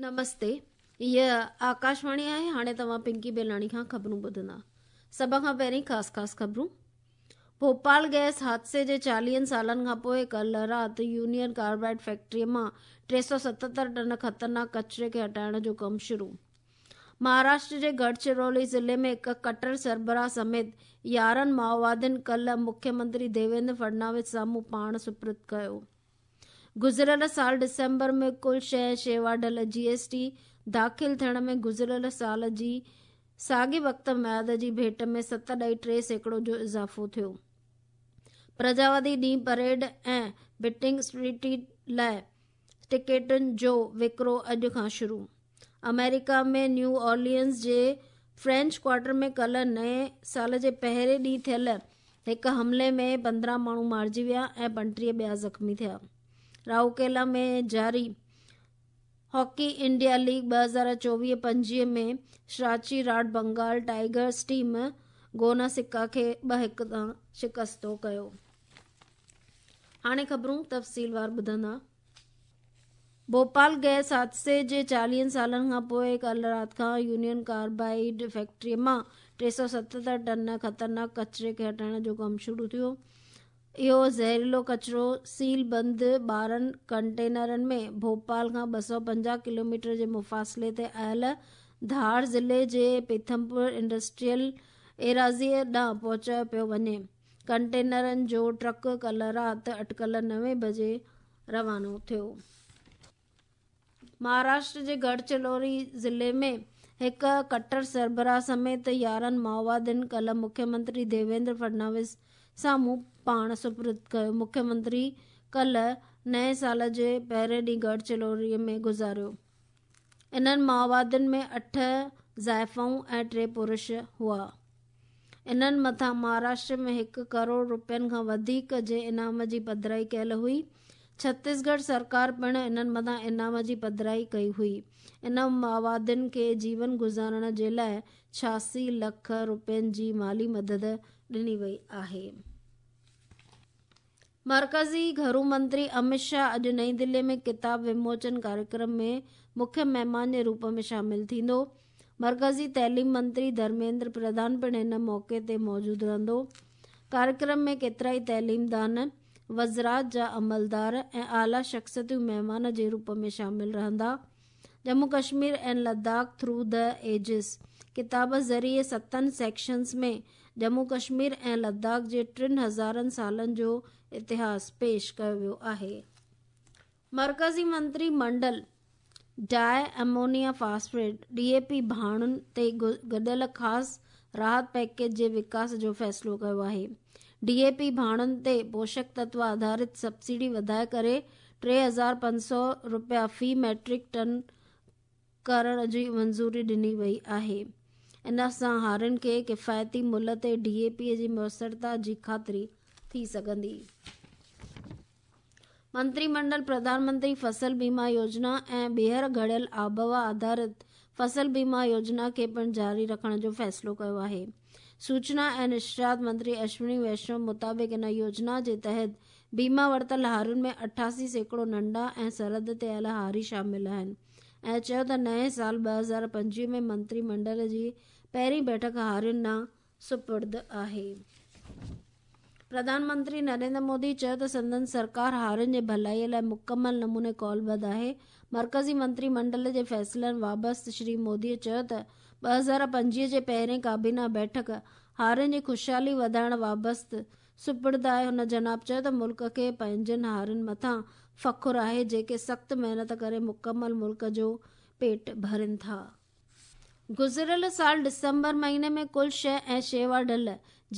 نمستي هيء آڪاشواڻي آهي هاڻي توهان پنڪي بيلاڻي کان خبرون ٻڌندا سڀ کان پهرين خاص خاص خبرون ڀوپال گئس حادثي جي چاليهن سالن کان پوء ڪالهه رات يونين ڪاربائيڊ فيڪٽري مان 377 ٽن خطرناڪ ڪچري کي هٽائڻ جو ڪم شروع مهاراشٽر جي گڙهچرولي ضلعي ۾ هڪ ڪٽر سربراهه سميت 11 مائووادين ڪالهه مکيه منتري ديويندر فڙناويس سامهون پاڻ سپرد ڪيو. گذريل سال ڊسمبر ۾ ڪل شيء ۽ شيوا ڍل، جي ايس ٽي، داخل ٿيڻ ۾ گذريل سال جي ساڳئي وقت ميعاد جي ڀيٽ ۾ 7.3% جو اضافو ٿيو. پرجاوادي ڏينهن پريڊ ۽ بٽنگ اسٽريٽ لاء ٽڪيٽن جو وڪرو اڄ کان شروع. آمريڪا ۾ نيو اورلينز جي فرينچ ڪوارٽر ۾ ڪالهه نئين سال جي پهرين ڏينهن ٿيل هڪ حملي ۾ 15 ماڻهو مارجي ويا ۽ 35 ٻيا زخمي ٿيا. راوڪيلا ۾ جاري hockey India league 2024-25 ۾ Shrachi Rarh Bengal tigers team Gonasika کي 2-1 تان شڪستو ڪيو. هاڻي خبرون تفصيلوار ٻڌندا. ڀوپال گئس حادثي جي چاليهن سالن کان پوء ڪالهه رات کان يونين ڪاربائيڊ فيڪٽري مان 377 ٽن خطرناڪ ڪچري کي هٽائڻ جو ڪم شروع ٿيو. اهو زهريلو ڪچرو سيل بند 12 ڪنٽينرن ۾ ڀوپال کان 250 ڪلوميٽر جي مفاصلي تي آيل ڌار ضلعي جي پيٿمپور انڊسٽريل ايراضيء ڏانهن پهچايو پيو وڃي. ڪنٽينرن جو ٽرڪ ڪالهه رات اٽڪل نوين بجي روانو ٿيو. مهاراشٽر جي گڙهچرولي ضلعي ۾ هڪ ڪٽر سربراهه سميت 11 مائووادين ڪالهه مکيه منتري ديويندر فڙناويس سامهون پاڻ سپرد ڪيو. مکيه منتري ڪالهه نئين سال جي پهرين ڏينهن گڙهچرولي ۾ گذاريو. انهن مائووادين ۾ اٺ زائفائون ۽ ٽي پرش هئا. انهن مٿان مهاراشٽر ۾ هڪ ڪروڙ رپين کان وڌيڪ جي انعام جي پڌرائي ڪيل هئي. ڇتيسڳڙهه سرڪار پڻ انهن مٿان انعام جي پڌرائي ڪئي هئي. انهن مائووادين کي جيون گذارڻ جي لاء 86 لک رپين جي مالي مدد ڏني وئي آهي. مرڪزي گهرو منتري امت شاهه اڄ نئين دهلي ۾ ڪتاب وموچن ڪاريڪرم ۾ مکيه مهمان جي روپ ۾ شامل ٿيندو. مرڪزي تعليم منتري ڌرميندر پرڌان پڻ هن موقعي تي موجود رهندو. ڪاريڪرم ۾ ڪيترائي تعليمدان، وزرات جا عملدار ۽ اعليٰ شخصيتون مهمان جي روپ ۾ شامل رهندا. Jammu Kashmir and Ladakh through the ages ڪتاب ذريعي ستن سيڪشنز ۾ ڄمون ڪشمير ۽ لداخ جي ٽن هزارن سالن جو اتهاس پيش ڪيو ويو آهي. مرڪزي منتري منڊل ڊاء امونيا فاسفيٽ، ڊي اي پي، ڀاڻن تي گڏيل خاص راحت پيڪيج جي وڪاس جو فيصلو ڪيو آهي. ڊي اي پي ڀاڻن تي پوشڪ تتو آڌارت سبسڊي وڌائي ڪري 3500 رپيا في ميٽرڪ ٽن ڪرڻ جي منظوري ڏني وئي آهي. ان سان هارين کي ڪفايتي ملهه تي ڊي اي پي جي ميسرتا جي خاطري ٿي سگهندي. منتري منڊل پرڌان منتري فصل بيما يوجنا ۽ ٻيهر گهڙيل آبهوا آڌارت فصل بيما يوجنا کي پڻ جاري رکڻ جو فيصلو ڪيو آهي. سوچنا ۽ نشريات منتري اشوني ويشنو مطابق ان يوجنا جي تحت بيما ورتل هارين ۾ 88% ننڍا ۽ سرحد تي آيل هاري شامل آهن ۽ چيو ته نئين سال 2025 ۾ منتري منڊل جي پهرين بيٺڪ هارين ڏانهن سپرد آهي. پرڌان منتري نريندر مودي چيو ته سندن سرڪار هارين جي ڀلائي لاء مڪمل نموني قولبڌ آهي. مرڪزي منتري منڊل جي فيصلن وابست شري مودي چيو ته 2025 جي پهرين ڪابينا بيٺڪ هارين جي خوشحالي وڌائڻ وابست سپرد آهي. هن جناب چيو ته ملڪ کي پنهنجن هارين مٿان فخر آهي جيڪي سخت محنت ڪري مڪمل ملڪ جو پيٽ ڀرين ٿا. گذريل سال ڊسمبر مهيني ۾ ڪل شيء ۽ شيوا ڍل،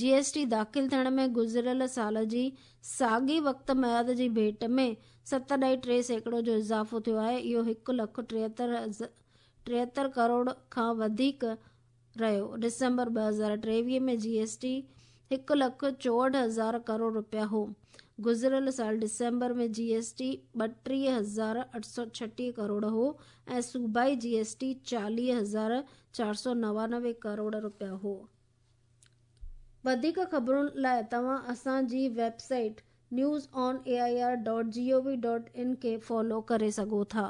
جي ايس ٽي، داخل ٿيڻ ۾ گذريل سال جي ساڳئي وقت ميعاد جي ڀيٽ ۾ 7.3% جو اضافو ٿيو آهي اهو هڪ لک 73 ڪروڙ کان وڌيڪ رهيو. ڊسمبر 2023 ۾ جي ايس ٽي هڪ لک 64 هزار ڪروڙ رپيا هو. گذريل سال ڊسمبر ۾ جي ايس ٽي 32,836 ڪروڙ هو ۽ صوبائي جي ايس ٽي 40,499 ڪروڙ رپيا هو. وڌيڪ خبرن لاء توهان اسان جي website news on A I R dot G O V dot in کي فالو ڪري سگهو ٿا.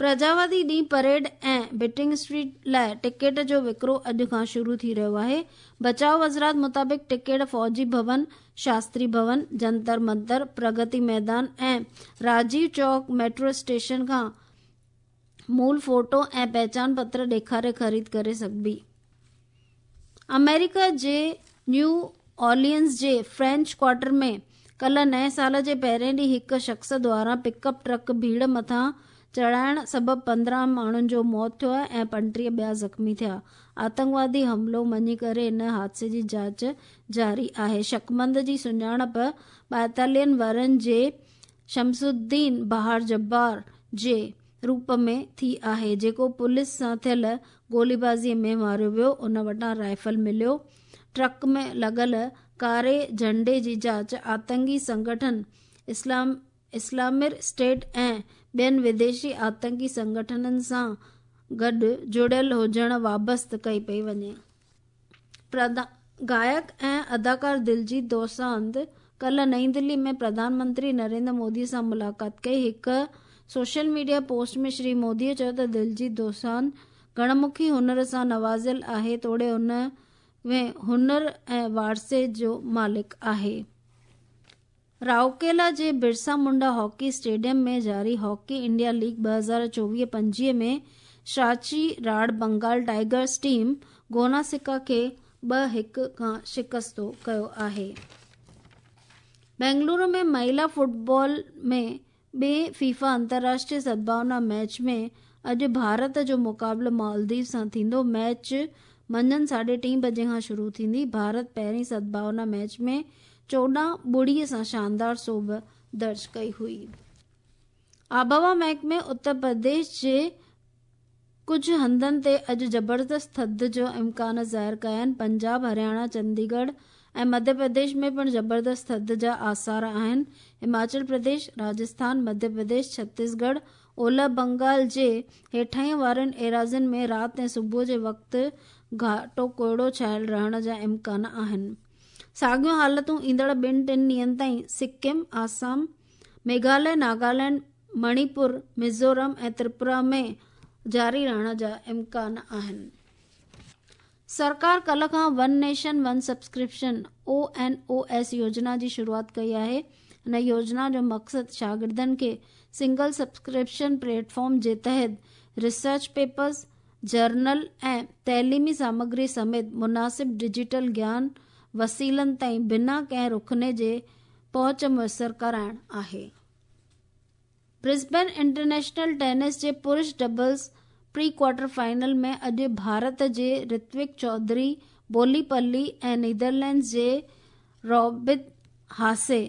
پرجاوادي ڏينهن پريڊ ۽ بٽنگ اسٽريٽ لاءِ ٽڪيٽ جو وڪرو اڄ کان شروع ٿي رهيو آهي. بچاء وزارت مطابق ٽڪيٽ فوجي ڀون، شاستري ڀون، جنتر منتر، پرگتي ميدان ۽ راجيو چوڪ ميٽرو اسٽيشن کان مول فوٽو ۽ پهچان پتر ڏيکاري خريد ڪري سگهبي. آمريڪا جي نيو اورلينز جي فرينچ ڪوارٽر ۾ ڪلهه نئين سال جي پهرين ڏينهن هڪ شخص دواران پڪ اپ ٽرڪ ڀيڙ مٿان چڙهائڻ سبب 15 ماڻهن جو موت ٿيو آهي ۽ 35 ٻيا زخمي ٿيا. آتنڪوادي حملو مڃي ڪري ان حادثي جي جاچ جاري آهي. شڪمند جي سڃاڻپ 42 ورهين جي شمس الدين بهار جبار جي روپ ۾ ٿي آهي، جيڪو پوليس سان ٿيل گوليبازي ۾ ماريو ويو، ان وٽان رائفل مليو. ٽرڪ ۾ لڳل ڪاري جهنڊي جي جاچ آتنڪي سنگٺن اسلام اسلامڪ اسٽيٽ ۽ ٻين وديشي آتنڪي سنگٺنن سان گڏ جڙيل هجڻ وابسته ڪئي پئي وڃي. گائڪ ۽ اداڪار دلجيت دوسانجهه ڪلهه نئين دلي ۾ پرڌان منتري نريندر مودي سان ملاقات ڪئي. هڪ social media post ۾ Shri Modi چيو ته دلجيت دوسانجهه گهڻ مکي هنر سان نوازيل آهي توڙي ان ۾ هنر ۽ وارثي جو مالڪ آهي. رائوڪيلا جي برسا منڊا هاڪي اسٽيڊيم ۾ جاري hockey India league 2024-25 ۾ Shrachi Rarh Bengal tigers team Gonasika کي 2-1 کان شڪستو ڪيو آهي. بينگلورو ۾ مهيلا فٽبال ۾ ٻئي فيفا انترراشٽريه سدڀاونا ميچ ۾ اڄ ڀارت جو مقابلو مالديپ سان ٿيندو. ميچ منجهند ساڍي ٽين بجي کان شروع ٿيندي. ڀارت پهرين سدڀاونا ميچ ۾ 14-0 سان شاندار سوڀ درج ڪئي هئي. آبهوا محڪمي اتر پرديش جي ڪجهه هنڌن تي اڄ زبردست ٿڌ جو امڪان ظاهر ڪيا آهن. پنجاب، هرياڻا، چنديڳڙهه ۽ مڌيه پرديش ۾ پڻ زبردست ٿڌ جا آثار آهن. هماچل پرديش، راجسٿان، مڌيه پرديش، ڇتيسڳڙهه، اولهه بنگال جي هيٺاهين وارين ايراضين ۾ رات ۽ صبح جي وقت گهاٽو ڪوهيڙو ڇانيل رهڻ جا امڪان آهن. ساڳيون حالتون ايندڙ ٻن ٽن ڏينهن تائين سڪم، آسام، ميگهاليه، ناگالينڊ، مڻيپور، ميزورم ۽ تريپورا ۾ جاري رهڻ جا امڪان آهن. سرڪار ڪلهه کان one nation one subscription, O N O S, يوجنا جي شروعات ڪئي آهي. هن يوجنا جو مقصد شاگردن کي سنگل سبسڪرپشن پليٽ فارم جي تحت ريسرچ پيپرز، جرنل ۽ تعليمي سامگري سميت مناسب ڊجيٽل گيان وسيلن تائين بنا ڪنهن رخني جي پهچ ميسر ڪرائڻ آهي. برسبين انٽرنيشنل ٽينس جي پرش ڊبلز پري ڪوارٽر فائنل ۾ اڄ ڀارت جي رتوڪ چوڌري بوليپلي ۽ نيدرلينڊز جي رابرٽ هاسي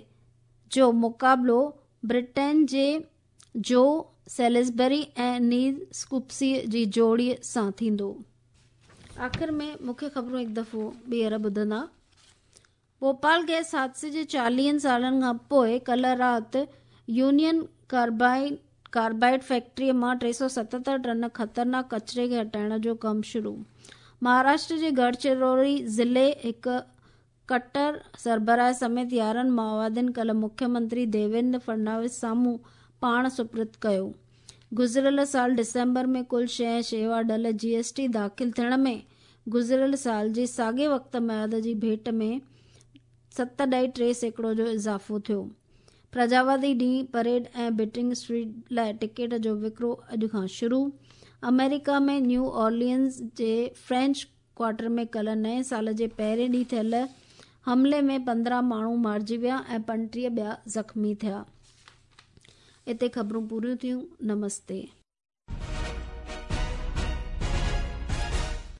جو مقابلو برٽين جي جو سيلزبري ۽ نيل اسڪوپسي جي جوڙي سان ٿيندو. آخر ۾ مکيه خبرون هڪ دفعو ٻيهر ٻڌندا. ڀوپال گئس حادثي جي 40 سالن کان پوء ڪلهه رات يونين ڪاربائيڊ فيڪٽري مان 377 ٽن خطرناڪ ڪچري کي هٽائڻ جو ڪم شروع. مهاراشٽر جي گڙهچرولي ضلعي هڪ ڪٽر سربراهه سميت 11 مائووادين ڪلهه مکيه منتري ديويندر فڙنويس سامهون پاڻ سپرد ڪيو. گذريل سال ڊسمبر ۾ ڪل شيء ۽ شيوا ڍل جي ايس ٽي داخل ٿيڻ ۾ گذريل سال جي ساڳئي وقت ميعاد جي ڀيٽ ۾ 7.3% جو اضافو ٿيو. پرجاوادي ڏينهن پريڊ ۽ بٽنگ اسٽريٽ لاء ٽڪيٽ جو وڪرو اڄ کان شروع. آمريڪا ۾ نيو اورلينز جي فرينچ ڪوارٽر ۾ ڪلهه نئين سال جي پهرين ڏينهن ٿيل حملي ۾ 15 ماڻهو مارجي ويا ۽ 35 ٻيا زخمي ٿيا. اتي خبرون پوريون ٿيون. نمستي.